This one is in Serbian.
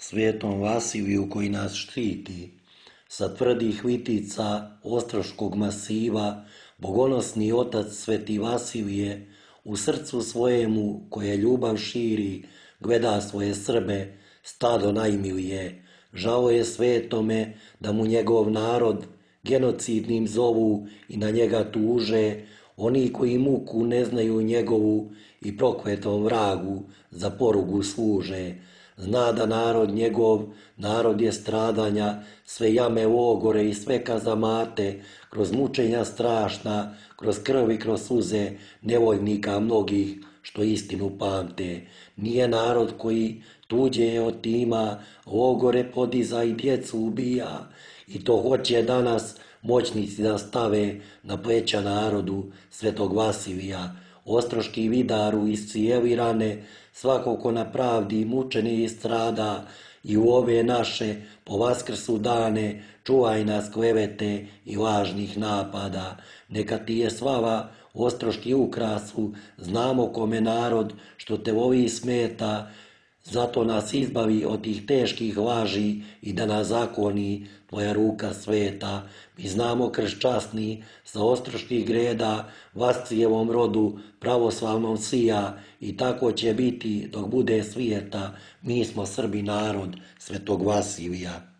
Svetom Vasiliju koji nas štiti. Sa tvrdih vitica Ostroškog masiva, bogonosni otac Sveti Vasilije, u srcu svojemu koje ljubav širi, gleda svoje Srbe, stado najmilije. Žao je svetome da mu njegov narod genocidnim zovu i na njega tuže, oni koji muku ne znaju njegovu i prokletom vragu za porugu služe. Zna da narod njegov, narod je stradanja, sve jame logore i sve kazamate, kroz mučenja strašna, kroz krv i kroz suze, nevoljnika mnogih što istinu pamte. Nije narod koji tuđe otima, logore podiza i djecu ubija, i to hoće danas moćnici da stave na pleća narodu Svetog Vasilija. Ostroški vidaru iscijeli rane, svako ko na pravdi mučeni i strada, i u ove naše po Vaskrsu dane čuvaj nas klevete i lažnih napada. Neka ti je slava Ostroški ukrasu, znamo kome narod što te voli smeta, zato nas izbavi od tih teških laži i da nas zakoni tvoja ruka sveta. Mi znamo krst časni sa ostroških greda, Vascijevom rodu pravoslavnom sija, i tako će biti dok bude svijeta. Mi smo Srbi narod Svetog Vasilija.